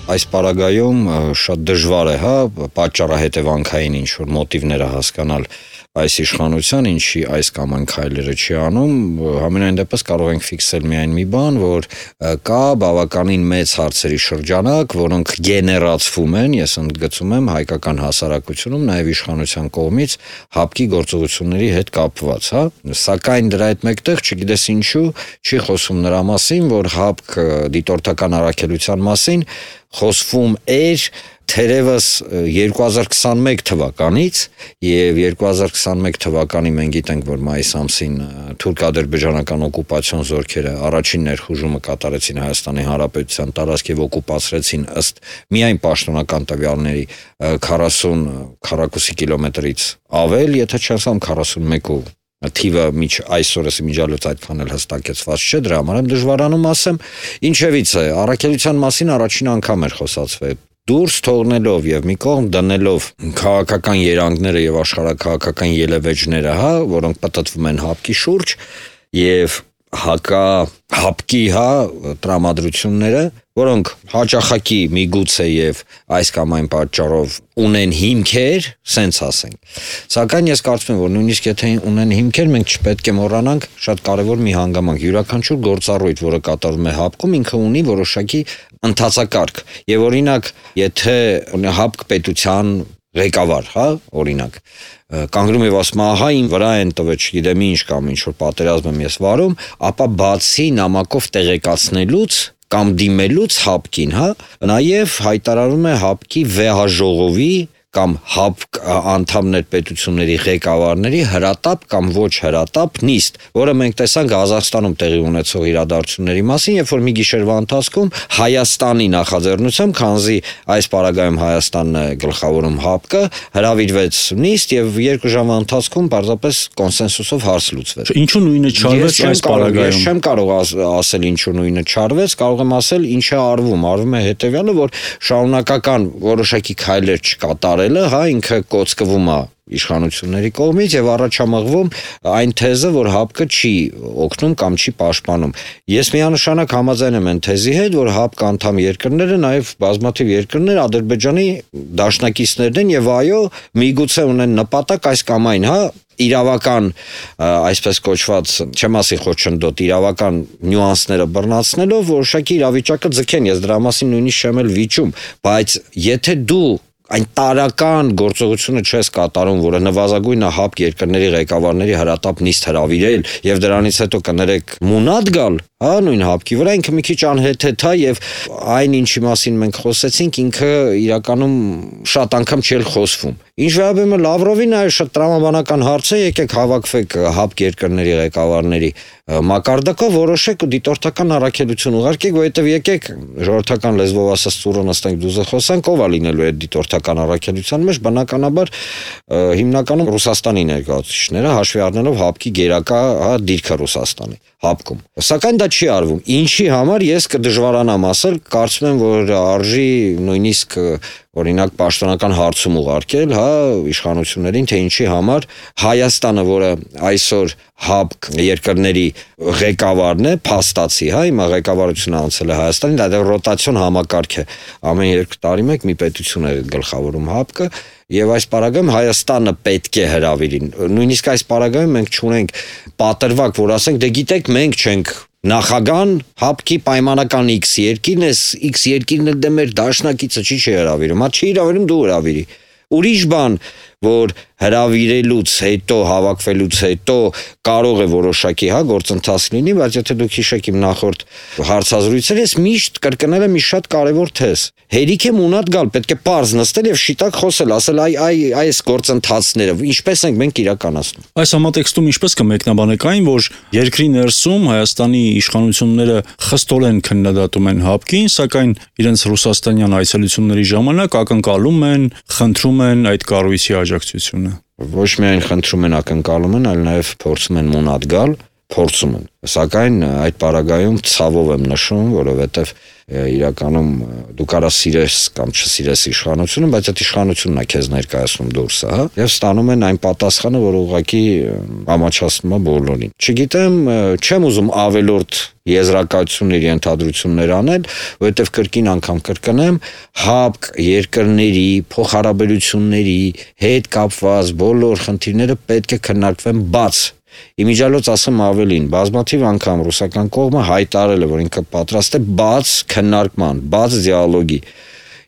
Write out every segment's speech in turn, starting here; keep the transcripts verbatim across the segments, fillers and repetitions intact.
Այս պարագայում շատ դժվար է, հա, պատճառահետևանքային ինչ որ մոտիվները հասկանալ այս իշխանության, ինչի այս կամ այն քայլերը չի անում, համենայն դեպս կարող ենք ֆիքսել միայն մի բան, որ կա բավականին մեծ հարցերի շրջանակ, որոնք գեներացվում են, ես ընդգծում եմ, հայկական հասարակությունում, նաև իշխանության կողմից հապկի գործողությունների հետ կապված, հա, սակայն դրա հետ մեկտեղ չգիտես ինչու չի խոսում նրա մասին, որ հապկ դիտորդական առաքելության մասին խոսվում էր թերևս երկու հազար քսանմեկ թվականից եւ երկու հազար քսանմեկ թվականի մենք գիտենք, որ մայիս ամսին թուրք-ադրբեջանական օկուպացիոն զորքերը առաջին ներխուժումը կատարեցին Հայաստանի Հանրապետության տարածք եւ օկուպացրեցին ըստ միայն պաշտոնական տվյալների քառասուն քառակուսի կիլոմետրից ավել, եթե չասեմ քառասունմեկ թիվը միջ այսօրս իմիջիալոց այդքան էլ հստակեցված չէ, դրա համար եմ դժվարանում ասեմ, ինչևից է, առաքելության մասին առաջին անգամ էր խոսացվել, դուրս թողնելով եւ մի կողմ դնելով քաղաքական երանգները եւ աշխարհաքաղաքական ելևէջները, հա, որոնք պատտվում են հապկի շուրջ եւ հակա հապկի, հա, տրամադրությունները, որոնք հաճախակի միգուցե եւ այս կամ այն պատճառով ունեն հիմքեր, սենց ասենք։ Սակայն ես կարծում եմ, որ նույնիսկ եթե ունեն հիմքեր, մենք չպետք է մոռանանք շատ կարևոր մի հանգամանք։ Յուրաքանչյուր գործառույթ, որը կատարվում է հապկում, ինքը ունի որոշակի ընթացակարգ։ Եվ օրինակ, եթե հապկ պետության ղեկավար, հա, օրինակ, կանգնում եւ ասում է, ահա ին վրա են տվել, չգիտեմ ինչ կամ ինչ որ պատերազմ եմ ես վարում, ապա բացի նամակով տեղեկացնելուց կամ դիմելուց հապկին, հա, նաեւ հայտարարում է հապկի վեհաժողովի կամ հապկ անդամներ պետությունների ղեկավարների հրատապ կամ ոչ հրատապ նիստ, որը մենք տեսանք Ղազախստանում տեղի ունեցող իրադարձությունների մասին, երբ որ մի գիշերվա ընթացքում Հայաստանի նախաձեռնությամբ, քանզի այս պարագայում Հայաստանն է գլխավորում հապկը, հրավիրվեց նիստ եւ երկու ժամվա ընթացքում պարզապես կոնսենսուսով հարց լուծվեց։ Ինչու նույնը չարվեց այս պարագայում։ Ես չեմ կարող ասել ինչու նույնը չարվեց, կարող եմ ասել ինչ է արվում, արվում է հետեւյալը, որ շարունակական որոշակի քայլեր չկատարելը, հա, ինքը կոծկվում է իշխանությունների կողմից եւ առաջամղվում այն թեզը, որ հապկը չի օգնում կամ չի պաշտպանում։ Ես միանշանակ համաձայն եմ այն թեզի հետ, որ հապկ անդամ երկրները, նաեւ բազմաթիվ երկրներ Ադրբեջանի դաշնակիցներն են եւ այո, միգուցե ունեն նպատակ այս կամ այն, հա, իրավական, այսպես կոչված, չեմ ասի խոչընդոտ, իրավական նյուանսները բռնացնելով որոշակի իրավիճակը ձգեն, ես դրա մասին նույնիսկ չեմ էլ վիճում, բայց եթե դու այն տարական գործողությունը չես կատարում, որը նվազագույնը հապկ երկրների ղեկավարների հրատապ նիստ հրավիրել եւ դրանից հետո կներեք մունատ գալ, հա, նույն հապկի վրա, ինքը մի քիչ անհեթեթ է եւ այն ինչի մասին մենք խոսեցինք, ինքը իրականում շատ անգամ չի խոսվում։ Ինչ վերաբերում է Լավրովին, այո, շատ տրամաբանական հարց է, եկեք հավաքվեք հապկ երկրների ղեկավարների մակարդակով, որոշեք ու դիտորդական առաքելություն ուղարկեք, որովհետեւ եկեք ժողովրդական լեզվով ասած ծուռը նստենք դուզը խոսանք, ով է լինելու այդ դիտորդական առաքելության մեջ, բնականաբար հիմնականում Ռուսաստանի ներկայացուցիչները, հաշվի առնելով հապկի գերակա, հա, դիրքը Ռուսաստանի հապկում։ Սակայն դա չի արվում։ Ինչի համար ես կդժվարանամ ասել, կարծում եմ, որ արժի նույնիսկ օրինակ պաշտոնական հարցում ուղարկել, հա, իշխանություններին, թե ինչի համար Հայաստանը, որը այսօր հապկ երկրների ղեկավարն է, փաստացի, հա, հիմա ղեկավարությունը անցել է Հայաստանին, դա ռոտացիոն համակարգ է։ Ամեն երկու տարի մեկ մի պետություն է գլխավորում հապկը, եւ այս պարագայում Հայաստանը պետք է հրավիրի։ Նույնիսկ այս պարագայում մենք չունենք պատրվակ, որ ասենք, դե գիտեք, մենք չենք նախագահան հապկի պայմանական X երկիրն է, X երկիրն էլ դե մեր դաշնակիցը չի չի հրավիրում, հա, չի հրավիրում, դու հրավիրի։ Ուրիշ բան, որ հրավիրելուց հետո, հավաքվելուց հետո կարող է որոշակի, հա, գործընթաց լինի, բայց եթե դուք հիշեք իմ նախորդ հարցազրույցները, ես միշտ կրկնել եմ մի շատ կարևոր թեզ։ Հերիք է մունատ գալ, պետք է պարզ նստել եւ շիտակ խոսել, ասել այ այ այս գործընթացները ինչպես ենք մենք իրականացնում։ Այս համատեքստում ինչպես կմեկնաբանեք այն, որ երկրի ներսում Հայաստանի իշխանությունները խստորեն քննադատում են հապկին, սակայն իրենց ռուսաստանյան այցելությունների ժամանակ ակնկալում են, խնդրում են այդ կառույցի աջակցությունը։ Ոչ միայն խնդրում են, ակնկալում են, այլ նաև փորձում են մունատ գալ, փորձում են։ Սակայն այդ պարագայում ցավով եմ նշում, որովհետև իրականում դու կարաս սիրես կամ չսիրես իշխանությունը, բայց այդ իշխանությունն է քեզ ներկայացնում դուրսը, հա, եւ ստանում են այն պատասխանը, որ ուղղակի ամաչացնում է բոլորին։ Չգիտեմ, չեմ ուզում ավելորդ եզրակացություններ, ենթադրություններ անել, որովհետև կրկին անգամ կրկնեմ, ՀԱՊԿ երկրների փոխհարաբերությունների հետ կապված բոլոր խնդիրները պետք է քննարկվեն բաց։ Իմիջիալոց ասեմ ավելին, բազմաթիվ անգամ ռուսական կողմը հայտարարել է, որ ինքը պատրաստ է բաց քննարկման, բաց դիալոգի։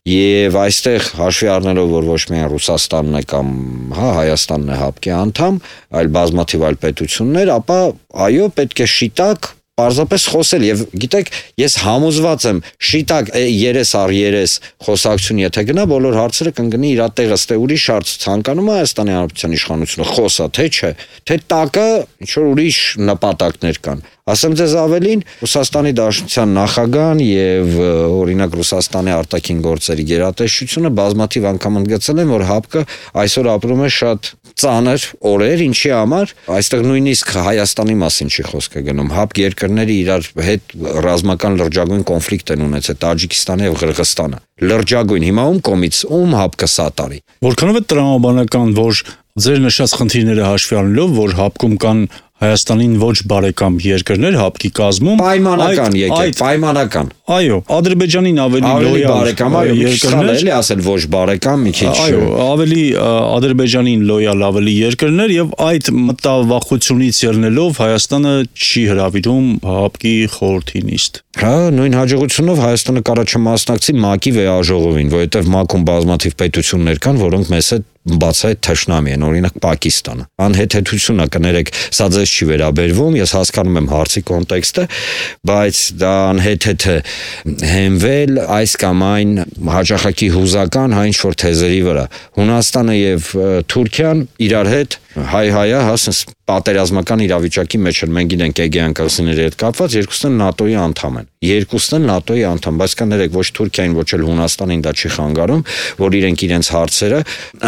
Եվ այստեղ հաշվի առնելով, որ ոչ միայն Ռուսաստանն է կամ հա Հայաստանն է ՀԱՊԿ-ի անդամ, այլ բազմաթիվ այլ պետություններ, ապա այո, պետք է շիտակ պարզապես խոսել եւ գիտեք, ես համոզված եմ, շիտակ երես առ երես խոսակցություն եթե գնա, բոլոր հարցերը կընկնի իր տեղը, ստե ուրիշ հարց ցանկանում է Հայաստանի Հանրապետության իշխանությունը խոսա, թե չէ, թե տակը ինչ որ ուրիշ նպատակներ կան։ Ասեմ ձեզ ավելին, Ռուսաստանի Դաշնության նախագահան եւ օրինակ Ռուսաստանի արտաքին գործերի գերատեսչությունը բազմաթիվ անգամ ընդգծել են, որ ՀԱՊԿ-ը այսօր ապրում է շատ ծանր օրեր, ինչի համար այստեղ նույնիսկ Հայաստանի մասին չի խոսքը գնում։ ՀԱՊԿ երկրները իրար հետ ռազմական լրջագույն կոնֆլիկտ են ունեցել Տաջիկստանը եւ Ղրղստանը։ Լրջագույն, հիմա ում կողմից ում ՀԱՊԿ-ը սատարի։ Որքանով է տրամաբանական, որ ձեր նշած խնդիրները հաշվի առնելով, որ ՀԱՊԿ-ում կան Հայաստանին ոչ բարեկամ երկրներ ՀԱՊԿ-ի կազմում պայմանական եկեք, պայմանական։ Այո, Ադրբեջանին ավելի լոյալ բարեկամ, այո, երկրներ, էլի ասել ոչ բարեկամ, մի քիչ։ Այո, ավելի Ադրբեջանին լոյալ ավելի երկրներ եւ այդ մտավախությունից ելնելով Հայաստանը չի հրավիրում ՀԱՊԿ-ի խորհրդի նիստ։ Հա, նույն հաջողությունով Հայաստանը կարա չմասնակցի ՄԱԿ-ի վեաժողովին, որովհետև ՄԱԿ-ում բազմաթիվ պետություններ կան, որոնք մեզ հետ բացահայտ թշնամի են, օրինակ Պակիստանը։ Անհեթեթությունը կներեք, սա ձեզ չի վերաբերվում, ես հասկանում եմ հարցի կոնտեքստը, բայց դա անհեթեթ է հենվել այս կամ այն հաճախակի հուզական հա ինչ որ թեզերի վրա։ Հունաստանը եւ Թուրքիան իրար հետ հայ-հայա, հասնես պատերազմական իրավիճակի մեջ են, մենք գիտենք Էգեյան կղզիների հետ կապված, երկուսն են ՆԱՏՕ-ի անդամ են։ Երկուսն են ՆԱՏՕ-ի անդամ, բայց կներեք ոչ Թուրքիային, ոչ էլ Հունաստանին դա չի խանգարում, որ իրենք իրենց հարցերը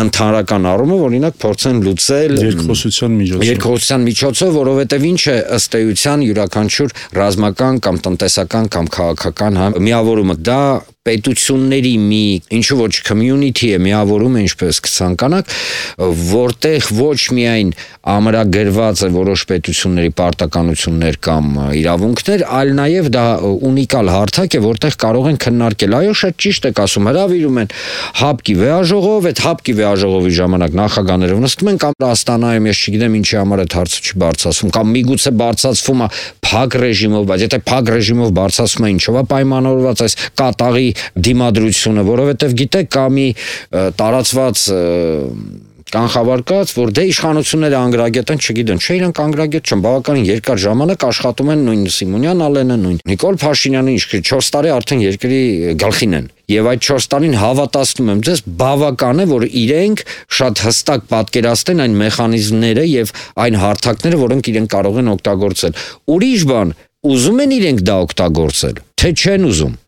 ընդհանրական առումով օրինակ փորձեն լուծել երկխոսության միջոցով։ Երկխոսության միջոցով, որովհետև ինչ է ըստ էության յուրաքանչյուր ռազմական կամ տնտեսական կամ քաղաքական հա միավորումը դա պետությունների մի ինչու ոչ community է միավորում է ինչպես կցանկանաք, որտեղ ոչ միայն ամրագրված է որոշ պետությունների պարտականություններ կամ իրավունքներ, այլ նաև դա ունիկալ հարթակ է, որտեղ կարող են քննարկել։ Այո, շատ ճիշտ եք ասում, հրավիրում են ՀԱՊԿ-ի վեաժողով, այդ ՀԱՊԿ-ի վեաժողովի ժամանակ նախագահները նստում են կամ Աստանայում, ես չգիտեմ ինչի համար այդ հարցը չի բարձրացվում, կամ միգուցե բարձրացվում է փակ ռեժիմով, բայց եթե փակ ռեժիմով բարձրացվում է ինչով է պայմանավորված այս կատաղի դիմադրությունը, որովհետև գիտեք կա մի տարածված կանխավարկած, որ դե իշխանությունները անգրագետ են, չգիտեն, չէ իրանք անգրագետ չեն, բավականին երկար ժամանակ աշխատում են նույն Սիմոնյան Ալենը, նույն Նիկոլ Փաշինյանը, ինչ չորս տարի արդեն երկրի գլխին են։ Եվ այդ չորս տարին հավատացնում եմ ձեզ, բավական է, որ իրենք շատ հստակ պատկերացնեն այն մեխանիզմները եւ այն հարթակները, որոնք իրենք կարող են օգտագործել։ Ուրիշ բան, ուզում են իրենք դա օգտագործել, թե չեն ուզում։